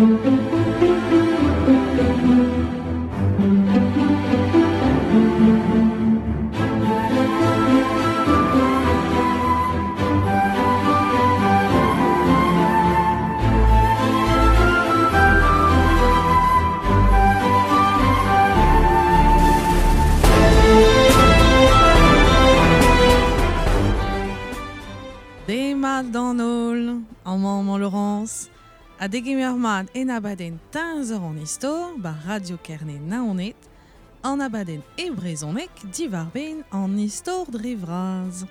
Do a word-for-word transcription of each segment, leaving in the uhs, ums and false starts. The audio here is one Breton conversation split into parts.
Demat d'an holl, amañ mañ Laurence, ha degemer mat en abadenn teñzor an istor ba Radio Kerne Naoned, an abadenn e brezhoneg diwar-benn an istor dre vras.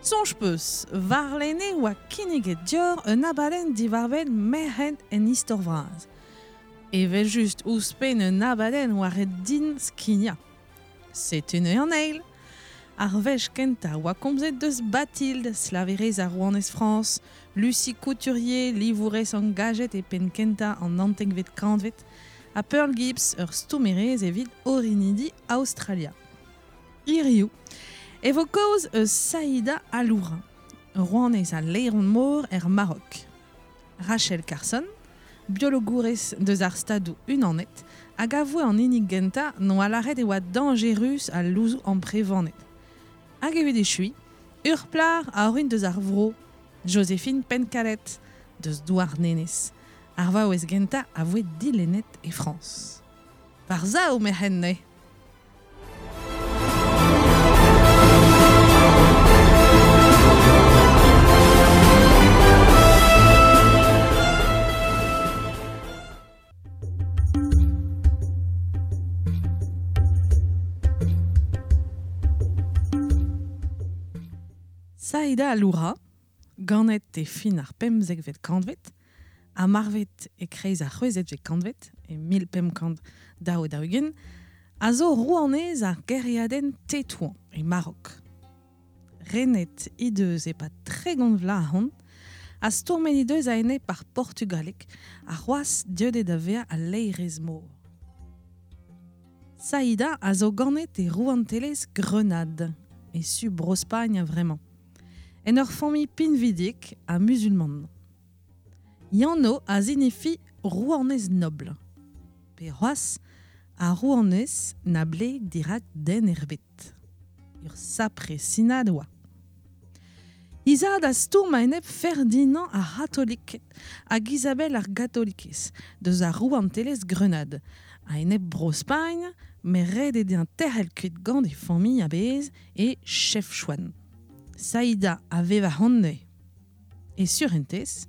Soñj peus, warlene oa kinniget dior un abadenn diwar-benn merc'hed en istor vras. Evel just ouzhpenn un abadenn oa ret din skignañ. Setu neuze an eil. Ar wech kentañ oa komzet deus Bathilde, slaverez ar rouanez Frañs, Lucie Couturier, livourez angajet e penn kentañ an naontekvet kantved, ha Pearl Gibbs, ur stourmerez evit orinidi Aostralia. Hiriv e vo kaoz eus Saïda Aloura, rouanez al laeron-mor er Marok. Rachel Carson, biologourez deus ar Stadoù Unanet, hag a voe an hini gentañ n'oa lâret e oa dañjerus al louzoù amprevanet. Hag evit echuiñ, ur plac'h a orin deus ar vro, Joséphine Pencalet, deus Douarnenez, ar vaouez gentañ a voe dilennet e Frañs. War sav merc'hed neuze. Saïda Aloura, ganet e fin ar pemzekvet kantved, ha marvet e kreiz ar c'hwezekvet kantved, e mil pemp kant daou ha daou-ugent, a zo rouanez ar gêriadenn Tetouan e Marok. Renet he deus e-pad tregont vloaz ahont, ha stourmet he deus a-enep ar portugalek ha c'hoazh deuet da vezañ al laerez-mor. Saïda a zo ganet e rouantelezh Grenade, e su Bro-Spagn a-vremañ. En ur familh pinvidik ha musulman. Yanno a zinifi rouanez nobl. Pe c'hoazh a rouanez na bleg dirak den erbet. Ur sapre sinad oa. He zad a stourm a-enep Ferdinand ar c'hatoliked hag Isabel ar gatolikez deus ar rouantelezh Grenade, a-enep Bro-Spagn, met ret eo dezhañ tec'hel kuit gant e familh a-bezh e Chefchaouen. Saïda a vev ahont neuze. E surentez,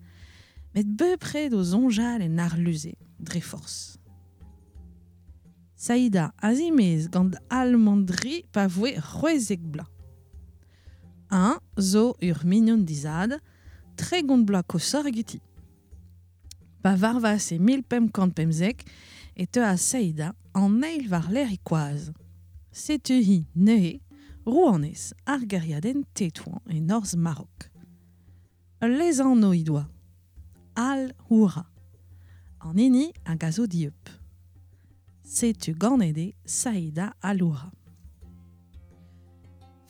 met bepred o soñjal en arluze, dre forzh. Saïda a zimez gant Almandri pa voe c'hwezek bloaz. Un zo ur mignon d'he zad, tregont bloaz koshoc'h egeti. Pa varvas e mil pemp kant pemzek e teuas Saïda an eil war-lerc'h e koaz. Setu hi neuze rouanez ar gêriadenn Tetouan e norzh Marok. Ul lezanv he doa, Al-Houra, an hini hag a zo dieub. Setu ganet eo Saïda Aloura.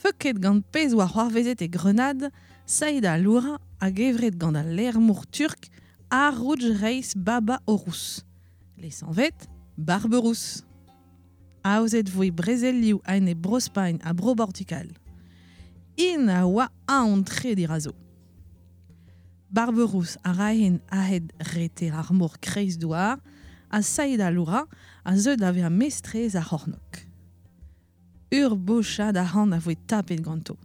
Feuket gant pezh oa c'hoarvezet e Grenade, Saïda Aloura hag evret gant al laer-mor turk Arouj Reis Baba Orous, lesanvet Barberousse. Aozet voe brezelioù a-enep Bro-Spagn ha Bro-Bortugal. Int a oa aon-tre dirazo. Barberousse a raen a-hed reter ar mor kreizdouar ha Saïda Aloura a zeu da vezañ mestrez ar c'hornôg. Ur bochad arc'hant a voe tapet ganto.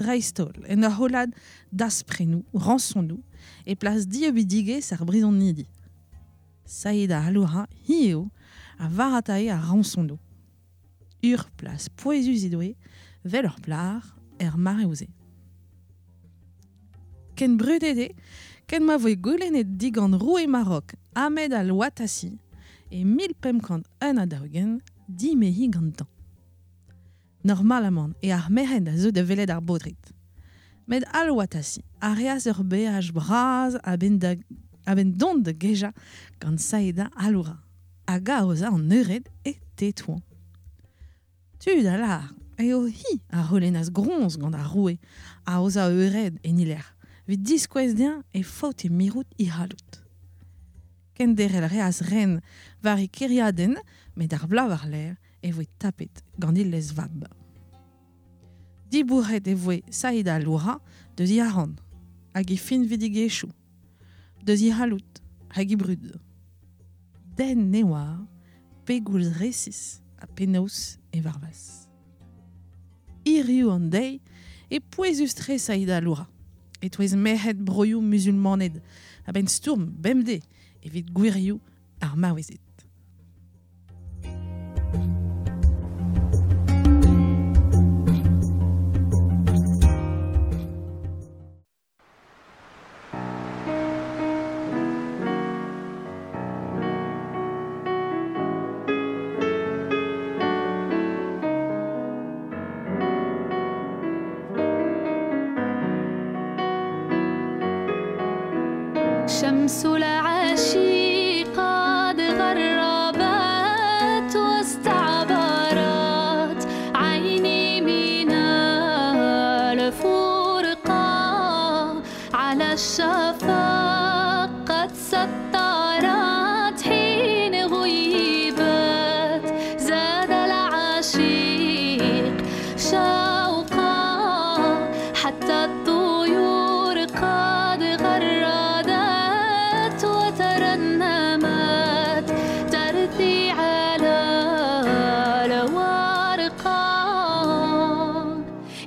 Dreist-holl en ur hollad dasprenoù, ransonoù, e plas dieubidigezh ar brizonidi. Saïda Aloura hi eo a varatae ar ransonoù. Ur plas pouezus he doe, vel ur plac'h er mareoù-se. Ken brudet eo, ken ma voe goulennet digant roue Marok Ahmed al-Watassi e mil pemp kant un ha daou-ugent dimeziñ gantañ. Normalamant e ar merc'hed a zeu da welet ar baotred. Met al-Watassi a reas ur beaj bras a-benn da, a-benn dont da gejañ gant Saïda Aloura, hag aozañ an eured e Tetouan. Tud a lâr eo hi a c'houlennas groñs gant ar roue aozañ eured en he lec'h, evit diskouez dezhañ e faote mirout he c'halloud. Kenderel reas ren war e keriadenn, met ar bloaz war-lerc'h e voe tapet gant e lezvab. Dibourret e voe Saïda Loura deus he arc'hant hag he finvidigezhioù, deus he c'halloud hag he brud. Den ne oar pegoulz resis ha penaos e varvas. Hiriv an deiz e pouezus-tre Saïda Loura, e-touez merc'hed broioù musulmaned a-benn stourm bemdez evit gwirioù ar maouezed. شمس العشي قد غربت واستعبرت عيني من الفرقة على الشفق قد سطرت حين غيبت زاد العشيق شوقا حتى الطيور قد غردت وترنمت ترثي على الورقة.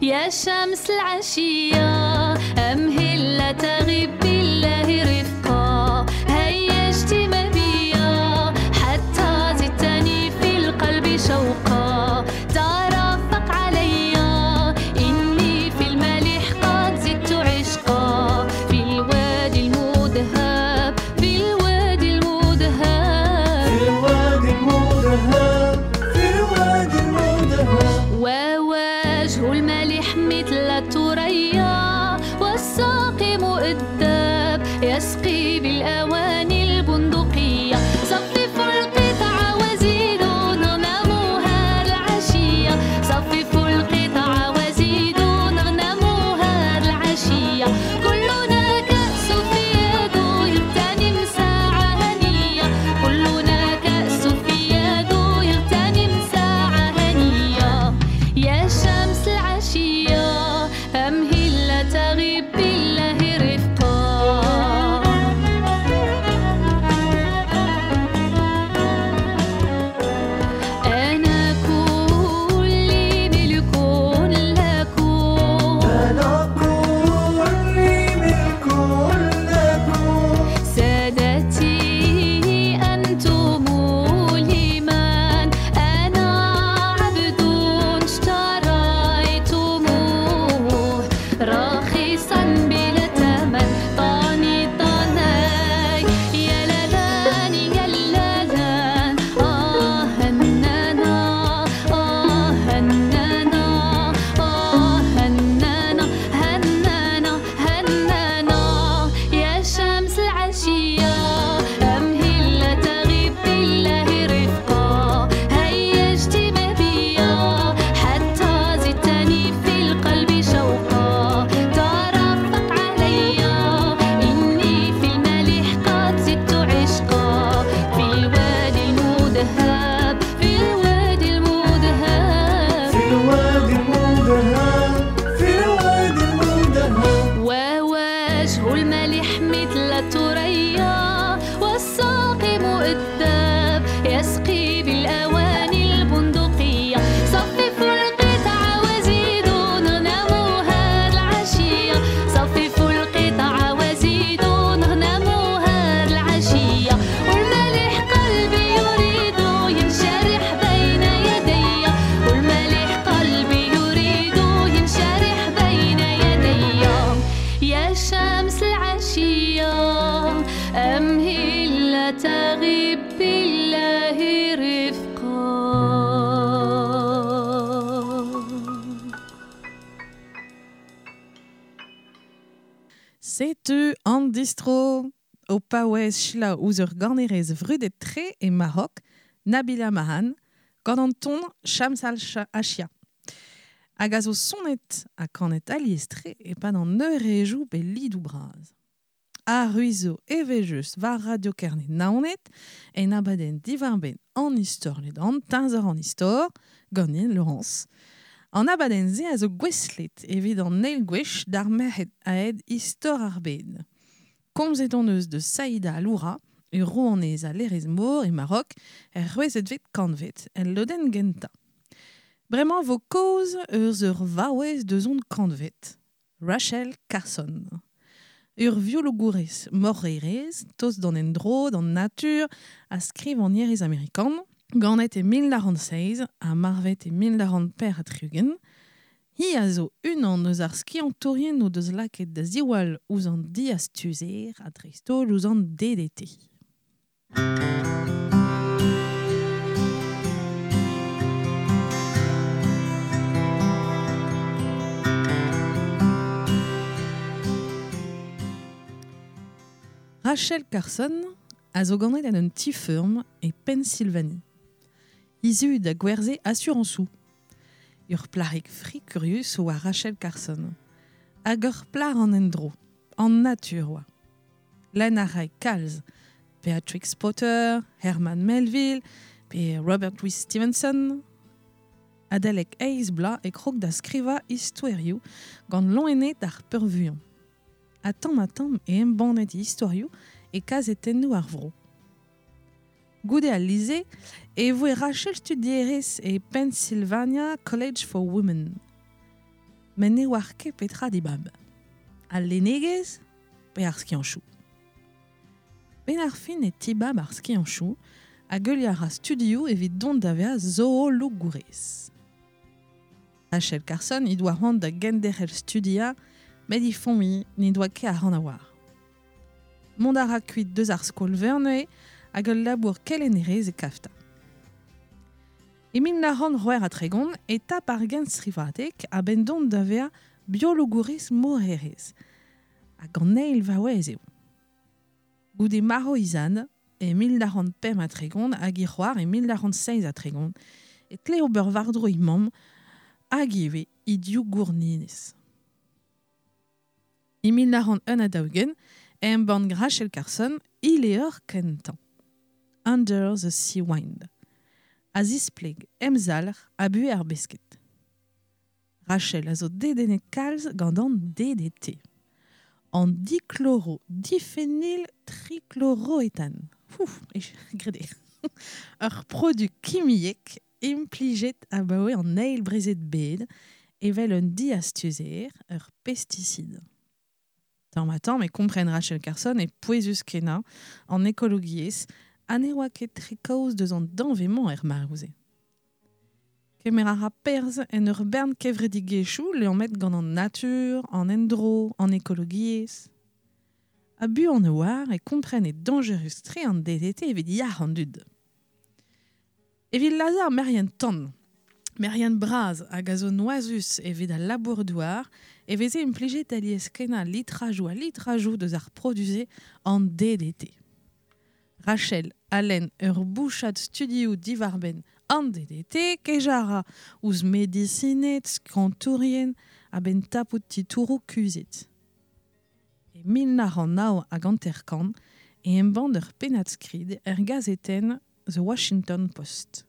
يا شمس العشية أمهل لا تغيب بالله رفقا هيجت ما بيا حتى زدتني في القلب شوقا ترفق عليا إني في الملح قد زدت عشقا في الوادي المذهب في الوادي المذهب في الوادي المذهب في الوادي المذهب. ووجه الملح مثل الثريا والساقي مؤدب يسقي بالأواني البندقية. صففوا القطع وزيدوا نغنموها العشية صففوا القطع وزيدوا نغنموها العشية. كلنا كأس في يده يغتنم ساعة هنية كلنا كأس في يده يغتنم ساعة هنية. يا شمس العشية أمهل لا تغيب بالله رفقا. أنا كلي ملك لكم أنا كلي ملك لكم سادتي أنتم لمن أنا عبد اشتريتموه رخيصا بلا ثمن طاني طاناي يا لالان يا لالان آه هنانا آه هنانا آه هنانا هنانا هنانا. يا شمس العشية أمهل لا تغيب بالله رفقا هيجت ما بيا حتى زدتني في القلب شوقا ترفق عليا إني في الملح قد زدت عشقا في الوادي المذهب في الوادي المذهب في الوادي المذهب في الوادي المذهب. ووجه الملح مثل الثريا والساقي مؤدب يسقي بالأواني البندقية. صففوا القطع وزيدوا نغنموها العشية صففوا القطع وزيدوا نغنموها العشية. والملح قلبي يريد ينشرح بين يدي والملح قلبي يريد ينشرح بين يدي. يا شمس العشية أمهل لا تغيب بالله رفقا. Setu an distro o paouez selaou ouzh ur ganerez vrudet-tre e Maroc, Nabila Mahan, gant an ton Shams al-Achia. Hag a zo sonet ha kanet alies-tre e-pad an eurejou pe lidou bras. A ruizo evel-just war Radio Kerne Naoned, en abadenn divarben an istor ledan, teñzor an istor, ganin Laurence. An abadenn se a zo gweslet evit an eil gwech d'ar merc'hed aet istor ar bed. Komzet hon eus de Saïda Aloura, ur rouanez a lerez mor e Maroc, er c'hwezhetvet kantved, el lodenn gentañ. Bremañ vo kaoz eus ur vaouez deus hon kantved, Rachel Carson. Ur viologourez morerez, tost d'an endro, d'an natur, a skriv an ierez amerikan, ganet e mil nav c'hant seizh ha marvet e mil nav c'hant per ha tri-ugent. Hi a zo unan eus ar skiantourien o deus lakaet da ziwall ouzh an diastuzer ha dreist-holl ouzh an D D T. Rachel Carson a zo ganet en un ti-feurm e Pennsylvanie. Izu da gwerze asurañsoù. Ur plac'hig fri kurius oa Rachel Carson. Hag ur plac'h an endro, an natur oa. Lenn a rae kalz, Beatrix Potter, Herman Melville, pe Robert Louis Stevenson. Adalek eizh bloaz e krog da skrivañ istoerioù gant loened ar peurvuiañ. Ha tamm ha tamm e embannet istorioù e kazetennoù ar vro. Goude al lise e voe Rachel studierez e Pennsylvania College for Women. Met ne oar ket petra dibab. Al lennegezh pe ar skianchoù. Ben ar fin e tibab ar skianchoù hag heuliañ a ra studioù evit dont da vezañ zoologourez. Rachel Carson he doa c'hoant da genderc'hel studiañ met he familh ne doa ket ar c'hoant a oar. Mont a ra kuit deus ar skol-veur neuze hag ul labour kelennerez e kafta. E mil nav c'hant c'hwec'h ha tregont e tap ar genstrivadeg a-benn dont da vezañ biologourez morerez hag an eil vaouez eo. Goude marv he zad e mil nav c'hant pemp ha tregont hag he c'hoar e mil nav c'hant seizh ha tregont e tle ober war-dro he mamm hag ivez he div gourninez. E mil nav c'hant un ha daou-ugent e embann Rachel Carson he levr kentañ, Under the Sea Wind, a zispleg emzalc'h ha buhez ar besked. Rachel a zo dedennet kalz gant an D D T. An dichloro diphenyl trichloroéthane. Ouf, e grede. Ur produ kimiek implijet abaoe an eil brezel bed evel un diastuzer, ur pesticide. Tamm ha tamm e kompren Rachel Carson e pouezus kenañ an ekologiezh ha ne oa ket tre kaoz deus an danvez-mañ er maroù-se. Kemer a ra perzh en ur bern kevredigezhioù liammet gant an natur, an endro, an ekologiezh. Ha buan e oar e kompren e dañjerus-tre an D D T evit yac'h an dud. Evit lazhañ ar merien tan, merien bras hag a zo noazus evit al labour-douar e veze implijet alies kenañ litrajoù ha litrajoù deus ar produze an D D T. Rachel a lenn ur bouchad studioù diwarbenn an D D T, kejañ a ra ouzh medisined, skiantourien a-benn tapout titouroù kuzhet. E mil nav c'hant nav hag hanter-kant e embann ur pennad-skrid er gazetenn The Washington Post.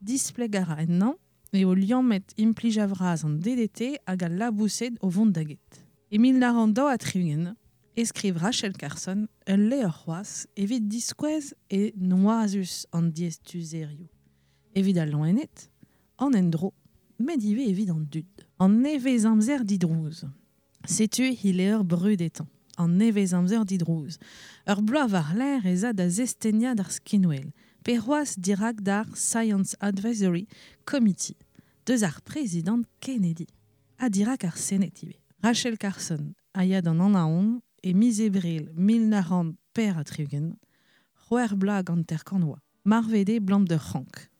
Displeg a ra ennañ eo liammet implij a-vras an D D T hag al laboused o vont da get. E mil nav c'hant daou ha tri-ugent e skriv Rachel Carson ul levr c'hoazh evit diskouez e noazus an diastuzerioù. Evit al loened, an endro, met ivez evit an dud. An nevez amzer didrouz. Setu he levr brudetañ. An nevez amzer didrouz. Ur bloaz war-lerc'h ez a da zesteniañ d'ar skinwel, pe c'hoazh dirak d'ar Science Advisory Committee, deus ar prezidant Kennedy, ha dirak ar Sened ivez. Rachel Carson a ya d'an Anaon e miz Ebrel mil nav c'hant per ha tri-ugent, c'hwec'h bloaz gant hanter-kant oa, marvet eo blam d'ur c'hrank.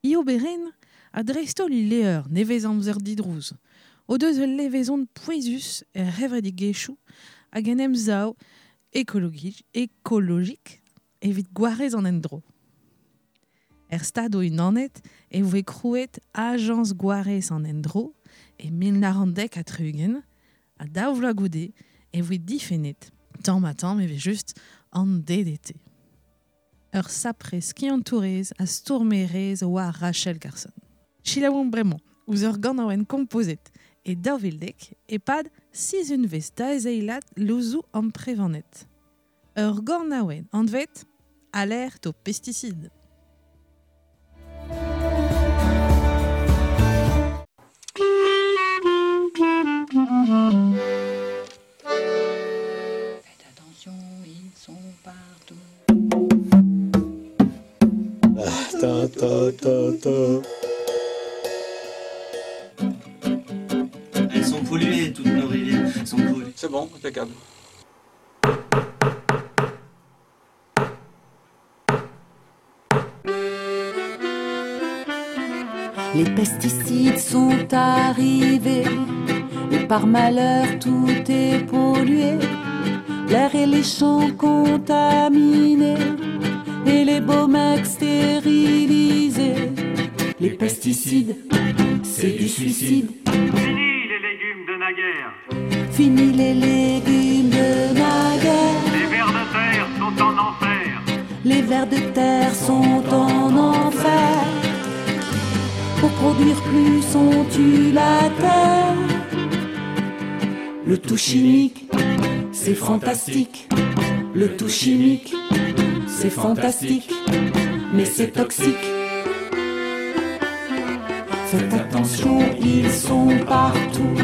He oberenn a dreist-holl he levr nevez amzer didrouz, o deus ul levezon pouezus er c'hevredigezhioù hag en emsav ekologik, ekologik evit gwarez an endro. Er stad o unanet e voe krouet Ajañs Gwarez an Endro e mil nav c'hant dek ha tri-ugent, ha daou vloaz goude e voe difennet Tamm ha tamm evel just an D D T. Ur sapre skiantourez a stourmerez oa Rachel Carson. Selaouomp bremañ ouzh ur ganaouenn kompozet e daou vil dek e-pad sizhunvezh daezeilat louzoù amprevanet. Ur ganaouenn anvet Alerte aux pesticides. Faites attention, ils sont partout. Ta, ta, ta, ta. Elles sont polluées, toutes nos rivières sont polluées. C'est bon, impeccable. Les pesticides sont arrivés et par malheur tout est pollué. L'air et les champs contaminés et les beaux mecs stérilisés. Les pesticides, c'est du suicide. Fini les légumes de naguère. Fini les légumes de naguère. Les vers de terre sont en enfer. Les vers de terre sont en enfer. Pour produire plus, on tue la terre. Le tout chimique, c'est fantastique. Le tout chimique, c'est fantastique, mais c'est toxique. Faites attention, ils sont partout.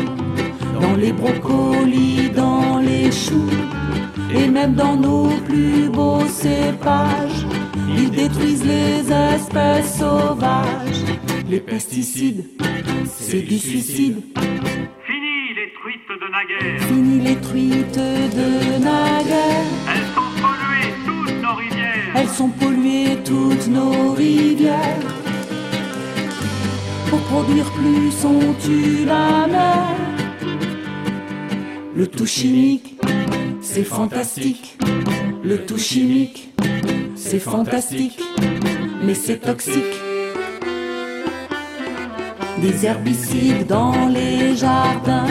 Dans les brocolis, dans les choux, et même dans nos plus beaux cépages. Ils détruisent les espèces sauvages. Les pesticides, c'est du suicide. Fini les truites de naguère. Fini les truites de naguère. Elles sont polluées toutes nos rivières. Elles sont polluées toutes nos rivières. Pour produire plus, on tue la mer. Le tout chimique, c'est fantastique. Le tout chimique, c'est fantastique, mais c'est toxique. Des herbicides dans les jardins,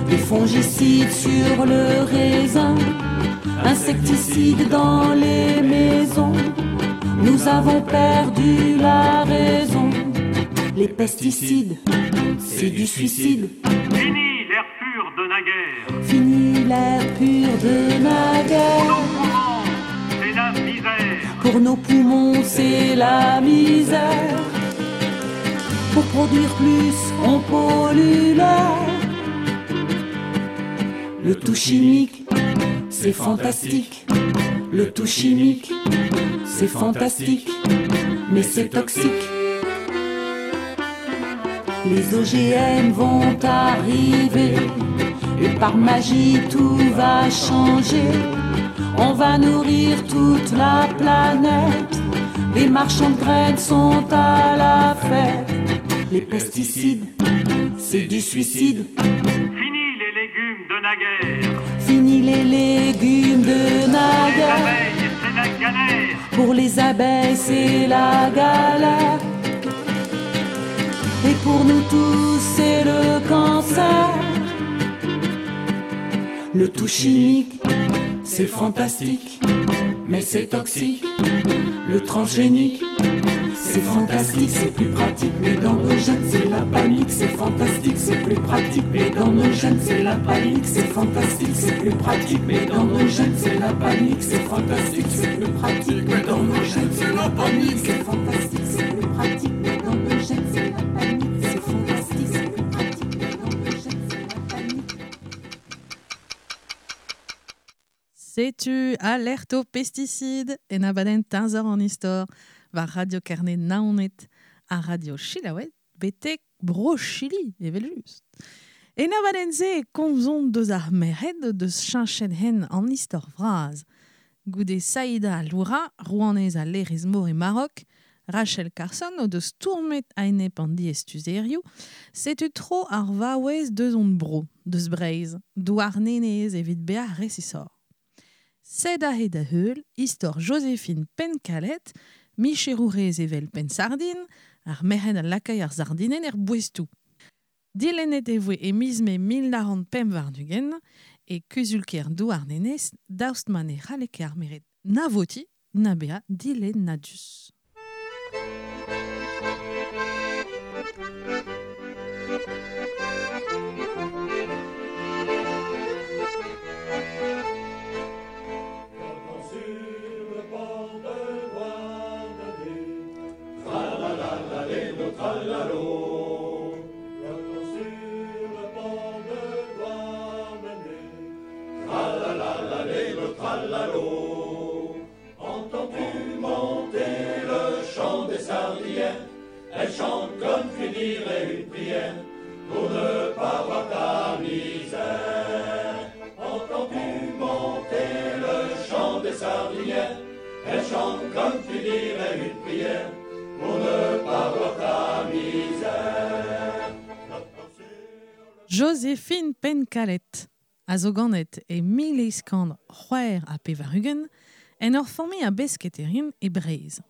des fongicides sur le raisin, insecticides dans les maisons. Nous avons perdu la raison. Les pesticides, c'est du suicide. Fini l'air pur de naguère. Fini l'air pur de naguère. Pour nos poumons, c'est la misère. Pour nos poumons, c'est la misère. Pour produire plus, on pollue l'air. Le tout chimique, c'est fantastique. Le tout chimique, c'est fantastique, mais c'est toxique. Les O G M vont arriver et par magie tout va changer. On va nourrir toute la planète. Les marchands de graines sont à la fête. Les pesticides, c'est du suicide. Fini les légumes de naguère. Fini les légumes de naguère. Pour les abeilles, c'est la galère. Pour les abeilles, c'est la galère. Et pour nous tous, c'est le cancer. Le tout chimique, c'est fantastique, mais c'est toxique. Le transgénique, c'est fantastique, c'est plus pratique, mais dans nos gènes, c'est la panique. C'est fantastique, c'est plus pratique, mais dans nos gènes, c'est la panique. C'est fantastique, c'est plus pratique, mais dans nos gènes, c'est la panique. C'est fantastique, c'est plus pratique, mais dans nos gènes, c'est la panique. C'est fantastique, c'est plus pratique, mais dans nos gènes, c'est la panique. C'est fantastique, c'est plus pratique, mais dans nos gènes, c'est la panique. Setu alerte aux pesticides en abadenn teñzor an istor war Radio Kerne Naoned ha Radio Chilaouet betek Bro Chili evel just. En abadenn-se e komzomp deus ar merc'hed deus cheñchet hen an istor vras. Goude Saïda Loura, rouanez a Lerez-Mor e Maroc, Rachel Carson o deus tourmet a-enep an diestuzerioù, setu tro ar vaouez deus hon bro, deus Breizh, Douarnenez evit bezañ resisor. Sed aze da heul, istor Joséphine Pencalet, micherourez evel Pensardine, ar merc'hed a lakay ar sardinen er boestoù. Dilennet e voe e miz mae mil nav c'hant pemp warn-ugent, e kuzulker Douarnenez daoust ma ne c'halle ket ar meret na voti na bea dilennadus. Entends-tu monter le chant des sardinières? Elle chante comme tu dirais une prière pour ne pas voir ta misère. Entends-tu monter le chant des sardinières? Elle chante comme tu dirais une prière pour ne pas voir ta misère. Joséphine Pencalet a zo ganet e mil eizh kant c'hwec'h ha pevar-ugent en ur familh a besketerin e Breizh.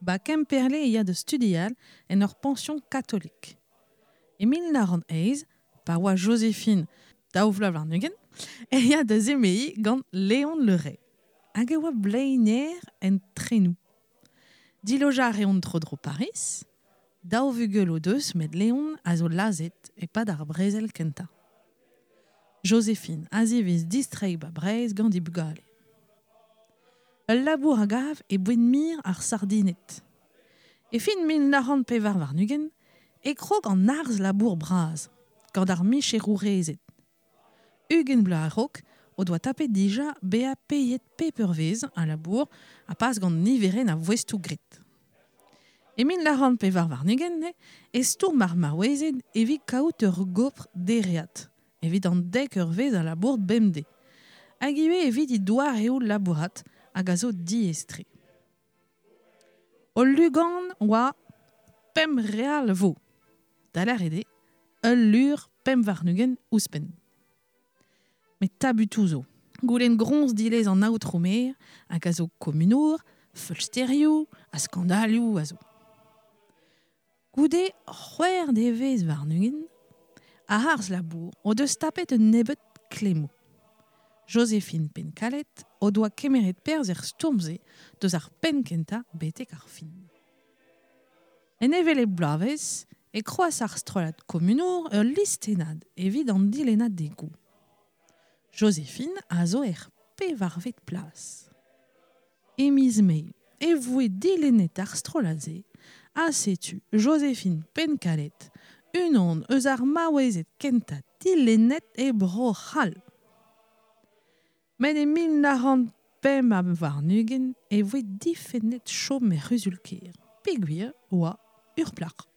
Ba Kemperle e ya da studial en ur pension katolik. E mil nav c'hant eizh, pa oa Joséphine daou vloaz warn-ugent, e ya da zemeiñ gant Léon Le Ray. Hag e oa bleiner en trenou. Dilojañ a reont tro-dro Paris, daou vugel o deus met Léon a zo lazhet e-pad ar brezel kentañ. Joséphine a zivez distreiñ ba Breizh gant he bugale. Ul labour a gav e boued-mir ar sardined. E fin mil nav c'hant pevar warn-ugent e krog an arz labour bras, gant ar micherourezed. Ugent bloaz a-raok o doa tapet dija bezañ paeet pep eurvezh a labour ha pas gant niverenn a voestoù graet. E mil nav c'hant pevar warn-ugent e stourm ar maouezed evit kaout ur gopr dereat, evit an dek eurvezh a labour bemdez. Hag ivez evit he doareoù labourat hag a zo diaes-tre. O lugan oa pemp real vo. Da lâret eo, ul lur pemp warn-ugent ouzhpenn. Met tabutoù zo. Goulenn groñs dilez an aotrou-maer hag a zo komunour, feulsterioù ha skandalioù a zo. Goude c'hwec'h devezh warn-ugent, a arz labour o deus tapet un nebeud klemmoù. Joséphine Pencalet o doa kemeret perzh er stourm-se deus ar penn kentañ betek ar fin. En hevelep bloavezh e kroaz ar strollad komunour ul listennad evit an dilennadegoù. Joséphine a zo er pevarvet plas. E miz Mae e voe dilennet ar strollad-se ha setu Joséphine Pencalet unan eus ar maouezed kentañ dilennet e Bro-C'hall. Met e mil nav c'hant pemp ha warn-ugent e voe difennet chom er c'huzul-kêr, peogwir oa ur plac'h.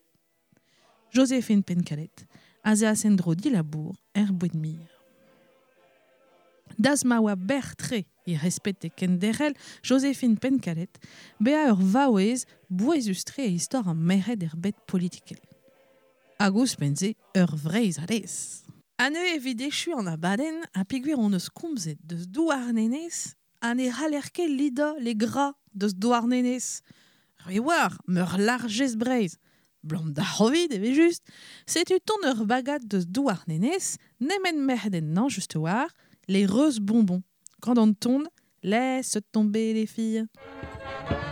Joséphine Pencalet a zeas en-dro dilabour er boued-mir. Das ma oa berr-tre e respete kenderc'hel Joséphine Pencalet bezañ ur vaouez bouezus-tre e istor ar merc'hed er bed politikel. Hag ouzhpenn-se ur Vreizhadez. Ha neuze evit echu an abadenn ha peogwir hon eus komzet deus Douarnenez ha ne c'haller ket lidañ le gras deus Douarnenez. Re war, meur largez Breizh. Blam d'ar c'hovid evel-just. Setu ton ur bagad deus Douarnenez, nemet merc'hed ennañ just war, les roses bonbons. Quand on tourne, laisse tomber les filles.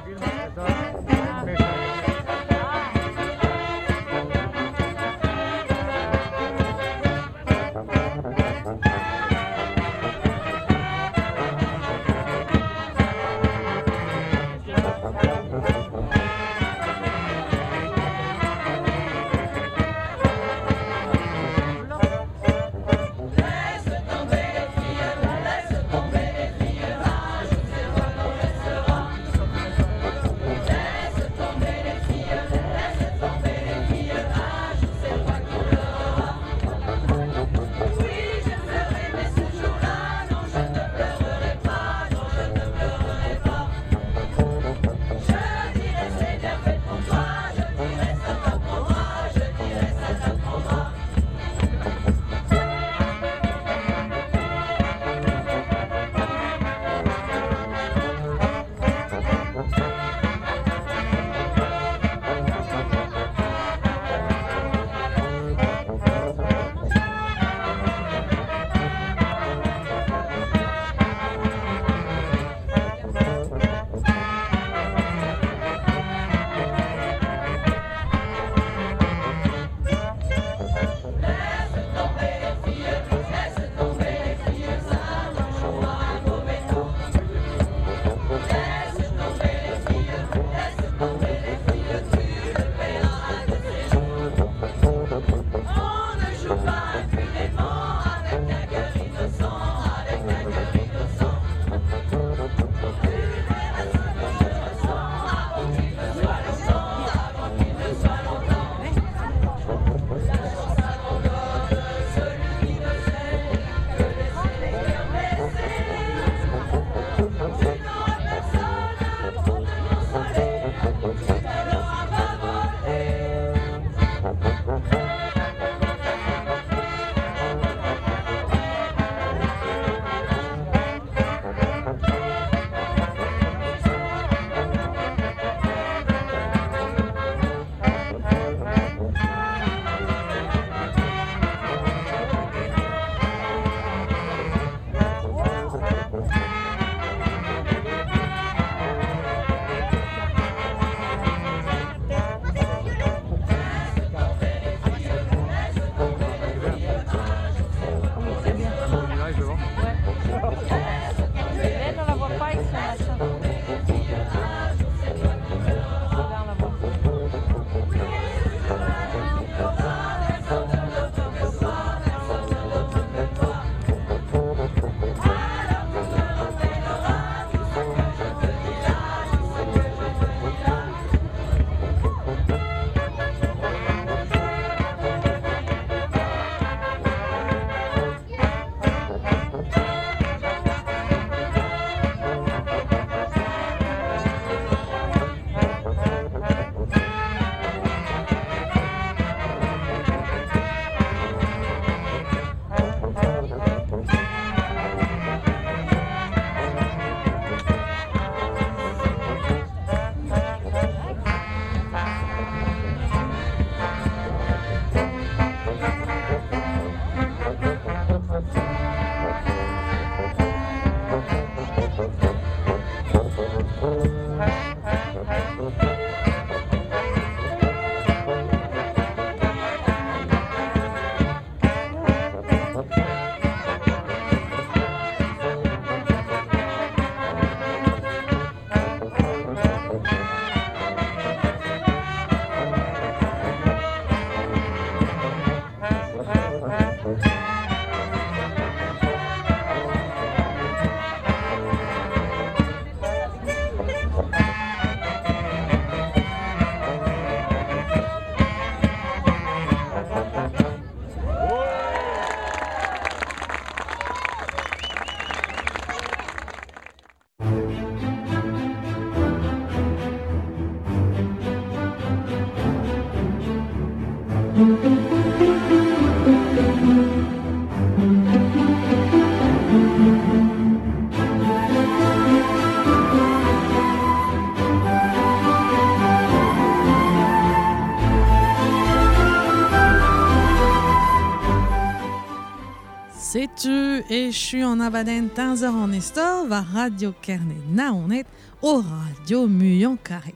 Laisse tomber les filles, Setu echu an abadenn teñzor an istor war Radio Kerne Naoned o radio muiañ karet.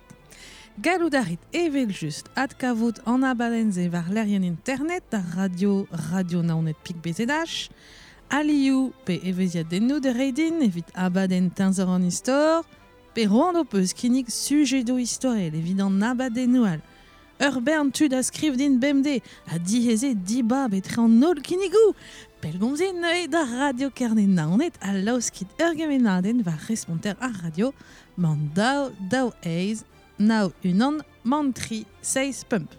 Gallout a rit evel-just adkavout an abadenn-se war lec'hienn internet ar radio radio naoned pik B Z H, alioù pe evezhiadennoù da reiñ din evit abadenn teñzor an istor, pe c'hoant ho peus kinnig sujedoù istorel evit an abadennoù all. Ur bern tud a skriv din bemdez ha diaes eo dibab etre an holl kinnigoù. Pellgomzit neuze da Radio Kerne Naoned ha laoskit ur gemennadenn war responter ar radio mann daou daou eizh nav unan mann tri seizh pemp.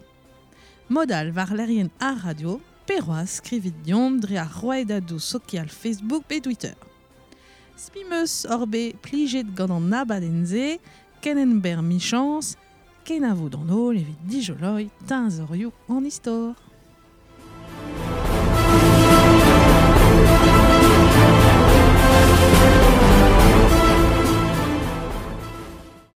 Mod all war lec'hienn ar radio, pe c'hoazh skrivit deomp dre ar rouedadoù sokial Facebook pe Twitter. Spi 'm eus oc'h bet plijet gant an abadenn-se, ken emberr 'michañs, kenavo d'an holl evit dijoloiñ teñzorioù an istor.